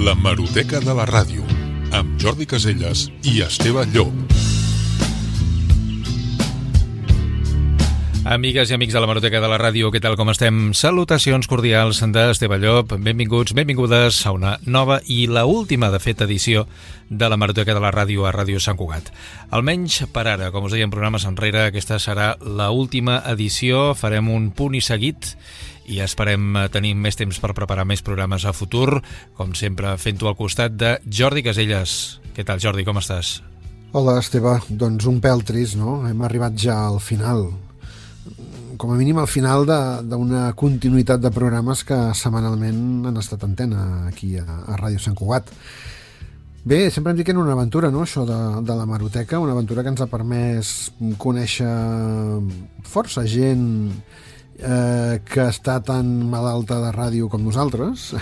L'Hemeroteca de la Ràdio, amb Jordi Caselles i Esteve Llop. Amigues i amics de l'Hemeroteca de la Ràdio, què tal, com estem? Salutacions cordials d'Esteve Llop, benvinguts, benvingudes a una nova i la última, de fet, edició de l'Hemeroteca de la Ràdio a Ràdio Sant Cugat. Almenys per ara, com us deia en programes enrere, aquesta serà la última edició, farem un punt i seguit i esperem tenir més temps per preparar més programes a futur, com sempre fent-ho al costat de Jordi Caselles. Què tal, Jordi, com estàs? Hola, Esteve. Doncs un pèl trist, no? Hem arribat ja al final, com a mínim al final d'una continuïtat de programes que setmanalment han estat antena aquí a Ràdio Sant Cugat. Bé, sempre em dic que era una aventura, no?, això de l'Hemeroteca, una aventura que ens ha permès conèixer força gent que està tan malalta de ràdio com nosaltres.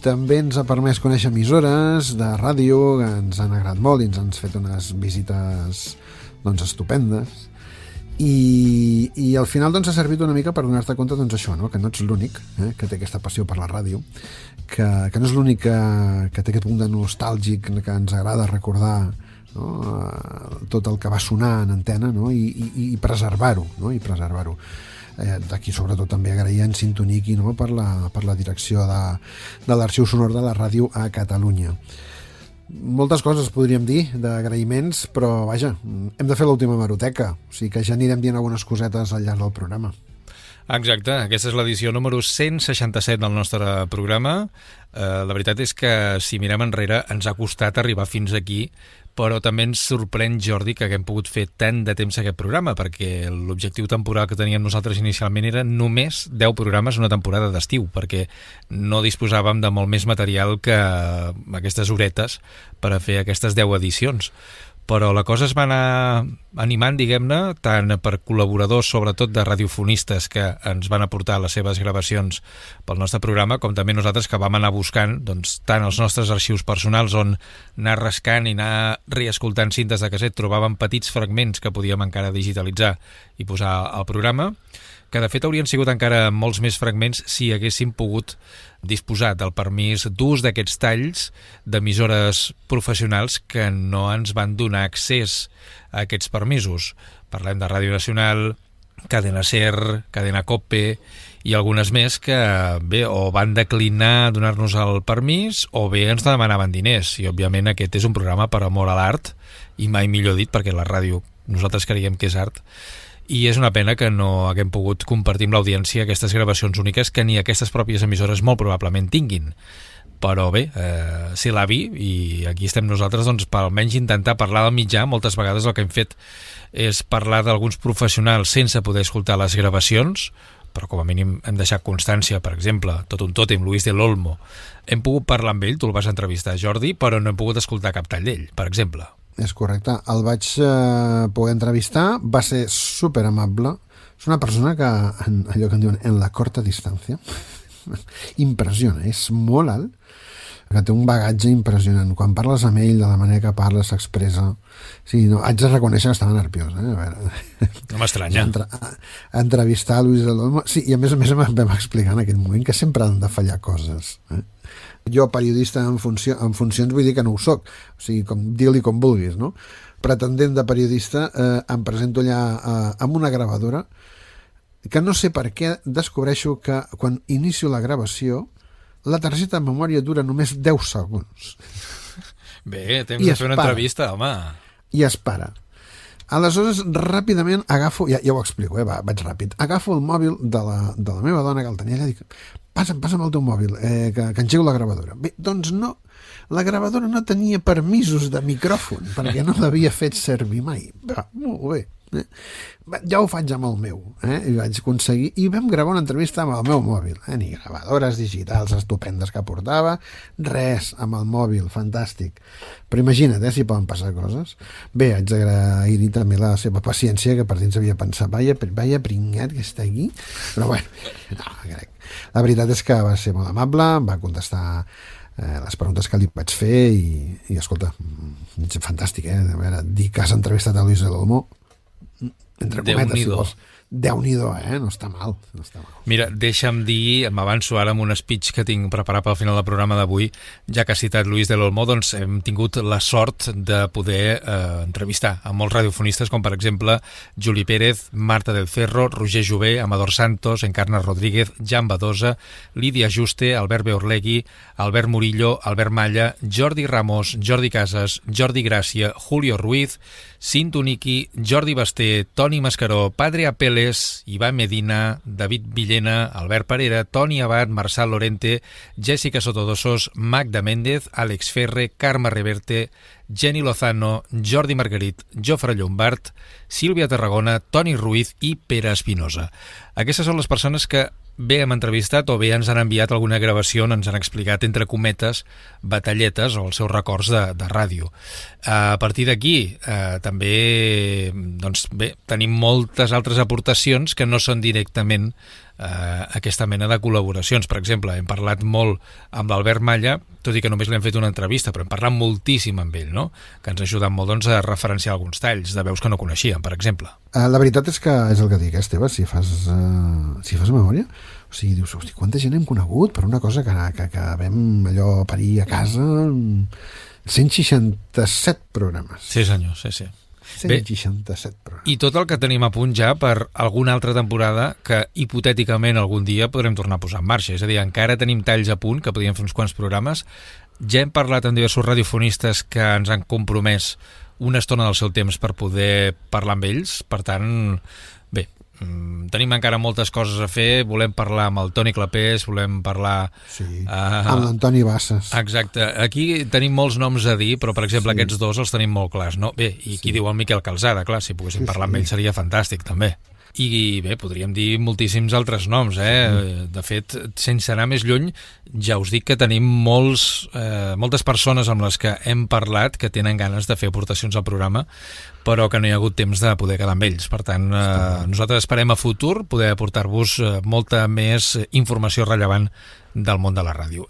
També ens ha permès conèixer emissores de ràdio que ens han agradat molt i ens han fet unes visites doncs estupendes. I al final doncs ha servit una mica per donar-te compte doncs això, no?, que no ets l'únic que té aquesta passió per la ràdio, que no és l'únic que té aquest punt de nostàlgic que ens agrada recordar, no?, tot el que va sonar en antena, no?, i preservar-ho, no?, i preservar-ho. D'aquí sobretot també agrair en Sintoniqui, no?, per la direcció de l'arxiu sonor de la ràdio a Catalunya. Moltes coses podríem dir d'agraïments, però vaja, hem de fer l'última hemeroteca, o sigui que ja anirem dient algunes cosetes al llarg del programa. Exacte, aquesta és l'edició número 167 del nostre programa. La veritat és que si mirem enrere ens ha costat arribar fins aquí, però també ens sorprèn, Jordi, que haguem pogut fer tant de temps aquest programa, perquè l'objectiu temporal que teníem nosaltres inicialment era només 10 programes una temporada d'estiu, perquè no disposàvem de molt més material que aquestes horetes per a fer aquestes 10 edicions. Però la cosa es va anar animant, diguem-ne, tant per col·laboradors, sobretot de radiofonistes que ens van aportar les seves gravacions pel nostre programa, com també nosaltres que vam anar buscant doncs, tant els nostres arxius personals on anar rascant i anar reescoltant cintes de casset, trobàvem petits fragments que podíem encara digitalitzar i posar al programa, que de fet haurien sigut encara molts més fragments si haguéssim pogut disposar del permís d'ús d'aquests talls d'emissores professionals que no ens van donar accés a aquests permisos. Parlem de Ràdio Nacional, Cadena Ser, Cadena Cope i algunes més que bé, o van declinar donar-nos el permís o bé ens demanaven diners, i òbviament aquest és un programa per amor a l'art, i mai millor dit, perquè la ràdio nosaltres creiem que és art, i és una pena que no haguem pogut compartir amb l'audiència aquestes gravacions úniques que ni aquestes pròpies emissores molt probablement tinguin. Però bé, ser l'avi, i aquí estem nosaltres doncs, per almenys intentar parlar del mitjà. Moltes vegades el que hem fet és parlar d'alguns professionals sense poder escoltar les gravacions, però com a mínim hem deixat constància, per exemple, Tot un tòtem, Luis del Olmo. Hem pogut parlar amb ell, tu el vas entrevistar, Jordi, però no hem pogut escoltar cap tall d'ell, per exemple. És correcte, el vaig poder entrevistar, va ser super amable, és una persona que, allò que en diuen, en la corta distància, impressiona, és molt alt, que té un bagatge impressionant. Quan parles amb ell, de la manera que parla, s'expressa... Sí, no, haig de reconèixer que estava nerviós. A veure, no m'estranya. Entrevistar Luis del Olmo... Sí, i a més em vam explicar en aquell moment que sempre han de fallar coses. Jo, periodista en funcions, vull dir que no ho soc. O sigui, digue-li com vulguis, no? Pretendent de periodista, em presento allà amb una gravadora que no sé per què descobreixo que quan inicio la gravació la targeta de memòria dura només 10 segons. Bé, temps de fer una entrevista, home. I es para. Aleshores, ràpidament agafo... Ja ho explico, vaig ràpid. Agafo el mòbil de la meva dona, que el tenia allà, i dic, passa'm el teu mòbil, que engego la gravadora. Bé, doncs no, la gravadora no tenia permisos de micròfon, perquè no l'havia fet servir mai. Va, molt bé. Ja ho faig amb el meu, i vaig aconseguir, i vam gravar una entrevista amb el meu mòbil, ni gravadores digitals estupendes que portava, res, amb el mòbil, fantàstic. Però imagina't, si poden passar coses. Bé, haig d'agrair també la seva paciència, que per dins havia pensat, vaya pringat que està aquí, però bueno, no, crec. La veritat és que va ser molt amable, em va contestar les preguntes que li vaig fer i escolta, fantàstic, a veure, dir que has entrevistat a Luis del Olmo, entre cometes, si vols. Déu-n'hi-do, no està mal, no està mal. Mira, deixa'm dir, m'avanço ara amb un speech que tinc preparat pel final del programa d'avui, ja que ha citat Luis del Olmo, doncs hem tingut la sort de poder entrevistar a molts radiofonistes, com per exemple Juli Pérez, Marta del Cerro, Roger Jové, Amador Santos, Encarna Rodríguez, Jan Badosa, Lídia Juste, Albert Beorlegui, Albert Murillo, Albert Malla, Jordi Ramos, Jordi Casas, Jordi Gràcia, Julio Ruiz, Cinto Niki, Jordi Basté, Toni Mascaró, Padre Apeles, Iván Medina, David Villena, Albert Parera, Toni Abad, Marçal Lorente, Jessica Sotodosos, Magda Méndez, Àlex Ferre, Carme Reverte, Jenny Lozano, Jordi Margarit, Jofre Llombart, Sílvia Tarragona, Toni Ruiz i Pere Espinosa. Aquestes són les persones que bé hem entrevistat o bé ens han enviat alguna gravació on ens han explicat, entre cometes, batalletes o els seus records de ràdio. A partir d'aquí, també, doncs bé, tenim moltes altres aportacions que no són directament aquesta mena de col·laboracions. Per exemple, hem parlat molt amb l'Albert Malla, tot i que només l'hem fet una entrevista, però hem parlat moltíssim amb ell, no? Que ens ha ajudat molt, doncs, a referenciar alguns talls de veus que no coneixíem, per exemple. La veritat és que és el que dic, Esteve, si fas memòria, o sigui, dius, hosti, quanta gent hem conegut per una cosa que vam allò parir a casa, 167 programes. Sí, senyor, sí. 167 programes. I tot el que tenim a punt ja per alguna altra temporada que hipotèticament algun dia podrem tornar a posar en marxa. És a dir, encara tenim talls a punt que podríem fer uns quants programes. Ja hem parlat amb diversos radiofonistes que ens han compromès una estona del seu temps per poder parlar amb ells. Per tant, bé, tenim encara moltes coses a fer. Volem parlar amb el Toni Clapés, volem parlar... Sí, amb l'Antoni Bassas. Exacte. Aquí tenim molts noms a dir, però, per exemple, aquests dos els tenim molt clars, no? Bé, i qui diu el Miquel Calzada, clar, si poguéssim parlar amb ell seria fantàstic, també. I bé, podríem dir moltíssims altres noms, De fet, sense anar més lluny, ja us dic que tenim moltes persones amb les que hem parlat que tenen ganes de fer aportacions al programa, però que no hi ha hagut temps de poder quedar amb ells. Per tant, nosaltres esperem a futur poder aportar-vos molta més informació rellevant del món de la ràdio.